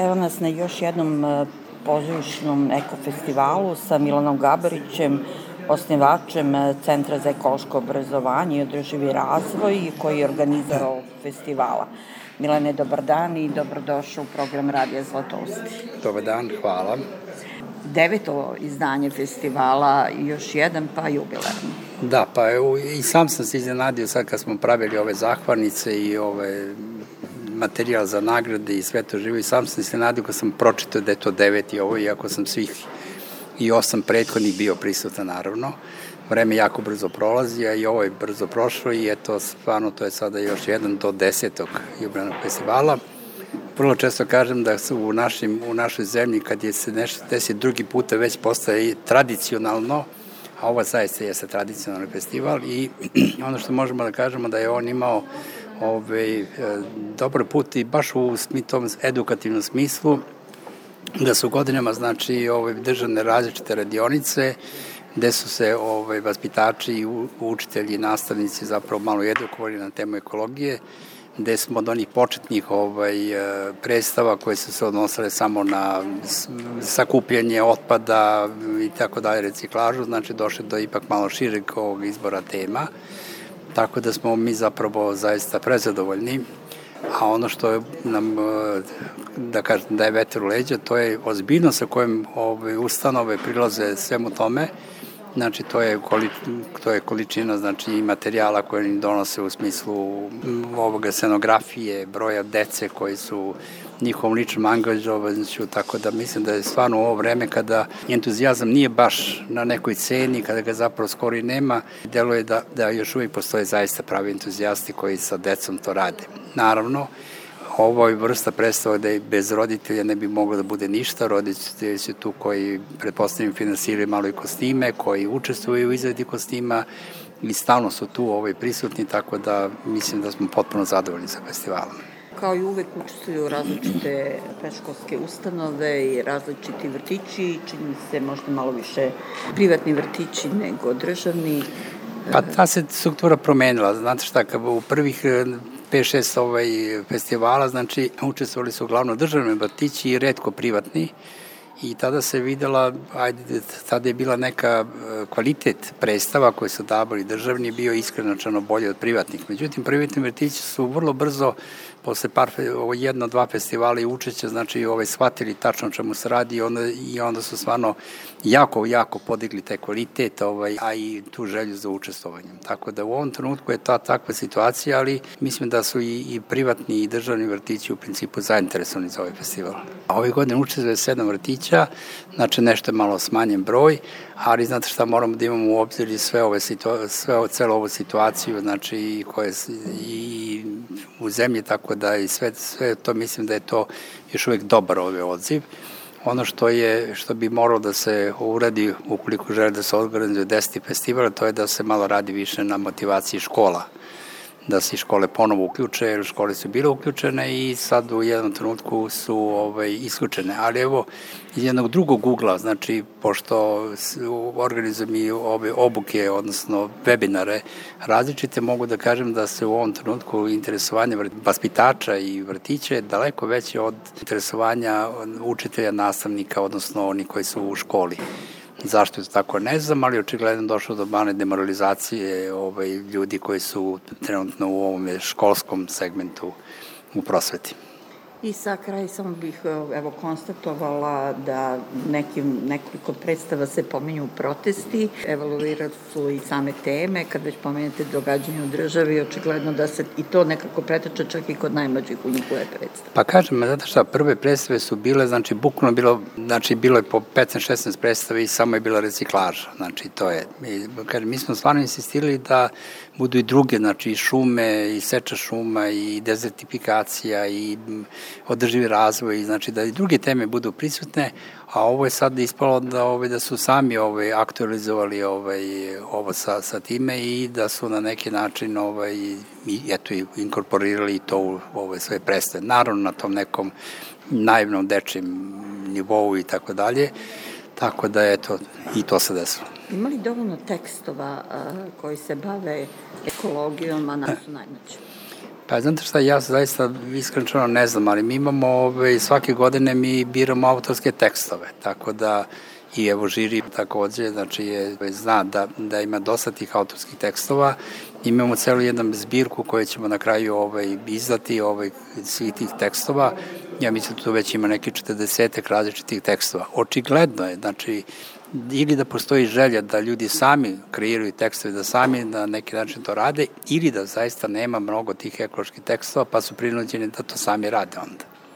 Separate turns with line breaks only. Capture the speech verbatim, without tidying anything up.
Evo nas na još jednom pozorišnom ekofestivalu sa Milanom Gabarićem, osnivačem Centra za ekološko obrazovanje i održivi razvoj koji je organizar ovog festivala. Milane, dobar dan i dobrodošao u program Radija Zlatosti.
Dobar dan, hvala.
Deveto izdanje festivala, još jedan pa jubilarni.
Da, pa evo, i sam sam se iznenadio sad kad smo pravili ove zahvalnice i ove materijal za nagrade i sve to živo i sam sam se iznenadio kad sam pročitao da je to deveti ovo, iako sam svih i osam prethodnih bio prisutan naravno. Vreme jako brzo prolazi, a i ovo je brzo prošlo i eto, stvarno to je sada još jedan do desetog jubilarnog festivala. Vrlo često kažem da su u, našim, u našoj zemlji kad je se nešto desi drugi puta već postaje tradicionalno, a ovo zaista jeste tradicionalni festival i ono što možemo da kažemo da je on imao ovaj, dobar put i baš u tom edukativnom smislu, da su godinama znači, ovaj, držane različite radionice, gde su se ovaj, vaspitači, učitelji i nastavnici zapravo malo edukovali na temu ekologije, gde smo od onih početnih ovaj, predstava koje su se odnosile samo na sakupljanje otpada i tako dalje, reciklažu, znači došli do ipak malo šireg ovog izbora tema, tako da smo mi zapravo zaista prezadovoljni, a ono što nam, da kažem, daje vetar u leđa, to je ozbiljnost sa kojim ovaj, ustanove prilaze svemu tome. Znači, to je, koli, to je količina znači, i materijala koje im donose u smislu ovoga scenografije, broja dece koji su njihovom ličnom angažovanošću, tako da mislim da je stvarno u ovo vreme kada entuzijazam nije baš na nekoj ceni, kada ga zapravo skoro i nema, deluje da, da još uvijek postoje zaista pravi entuzijasti koji sa decom to rade. Naravno, ovo je vrsta predstava da je bez roditelja ne bi moglo da bude ništa. Roditelji su tu koji, pretpostavljam, finansiraju malo i kostime, koji učestvuju u izradi kostima i stalno su tu ovaj, prisutni, tako da mislim da smo potpuno zadovoljni sa festivalom.
Kao i uvek učestvuju različite predškolske ustanove i različiti vrtići, čini se možda malo više privatni vrtići nego državni.
Pa ta se struktura promenila. Znate šta, kad u prvih pet šest ovaj festivala, znači učestvovali su uglavnom državni vrtići i retko privatni i tada se videla, ajde, tada je bila neka kvalitet predstava koje su davali državni bio iskreno bolje od privatnih. Međutim, privatni vrtići su vrlo brzo posle par, ovo jedno, dva festivala i učeća, znači ovaj, shvatili tačno čemu se radi i onda, i onda su stvarno jako, jako podigli taj kvalitet, ovaj, a i tu želju za učestvovanjem. Tako da u ovom trenutku je ta takva situacija, ali mislim da su i, i privatni i državni vrtići u principu zainteresovani za ovaj festival. A ove godine učestvuje sedam vrtića, znači nešto je malo smanjen broj, ali znate šta, moramo da imamo u obzir i sve ove situa- sve ovo, celo ovu situaciju, znači i koje i u zemlji, tako da i sve, sve to mislim da je to još uvek dobar ovaj odziv. Ono što je, što bi moralo da se uradi ukoliko žele da se organizuje deseti festival, to je da se malo radi više na motivaciji škola, da se škole ponovo uključe, jer škole su bile uključene i sad u jednom trenutku su ovaj, isključene. Ali evo, iz jednog drugog ugla, znači, pošto organizujem i ove obuke, odnosno webinare različite, mogu da kažem da se u ovom trenutku interesovanje vaspitača i vrtića je daleko veće od interesovanja učitelja, nastavnika, odnosno oni koji su u školi. Zašto je to tako, ne znam, ali očigledno došlo do male demoralizacije ovaj, ljudi koji su trenutno u ovom školskom segmentu u prosveti.
I sa kraj samo bih evo, konstatovala da nekim, nekoliko predstava se pominju protesti, evaluirali su i same teme, kad već pomenete događanje u državi, očigledno da se i to nekako pretača čak i kod najmlađih u njihove predstave.
Pa kažem, znate šta, prve predstave su bile, znači bukvalno bilo, znači bilo je po petnaest šesnaest predstave i samo je bila reciklaža, znači to je, mi, kažem, mi smo stvarno insistirali da budu i druge, znači i šume, i seča šuma, i dezertifikacija, i održivi razvoj, znači da i druge teme budu prisutne, a ovo je sad ispalo da, ovaj, da su sami ovaj, aktualizovali ovaj, ovo sa, sa time i da su na neki način ovaj, i, eto, inkorporirali to u ove svoje predstave. Naravno na tom nekom naivnom dečjem nivou i tako dalje, tako da eto, i to se desilo.
Ima li dovoljno tekstova a, koji se bave ekologijom, a nas su najmlađi?
Pa znate šta, ja zaista iskreno ne znam, ali mi imamo ove, svake godine mi biramo autorske tekstove, tako da i evo žiri takođe, znači je, zna da, da ima dosta tih autorskih tekstova. Imamo celu jednu zbirku koju ćemo na kraju ovaj, izdati ovaj, svih tih tekstova. Ja mislim da tu već ima neki četrdesetak različitih tekstova. Očigledno je, znači, ili da postoji želja da ljudi sami kreiraju tekstove, da sami na neki način to rade, ili da zaista nema mnogo tih ekoloških tekstova, pa su prinuđeni da to sami rade onda.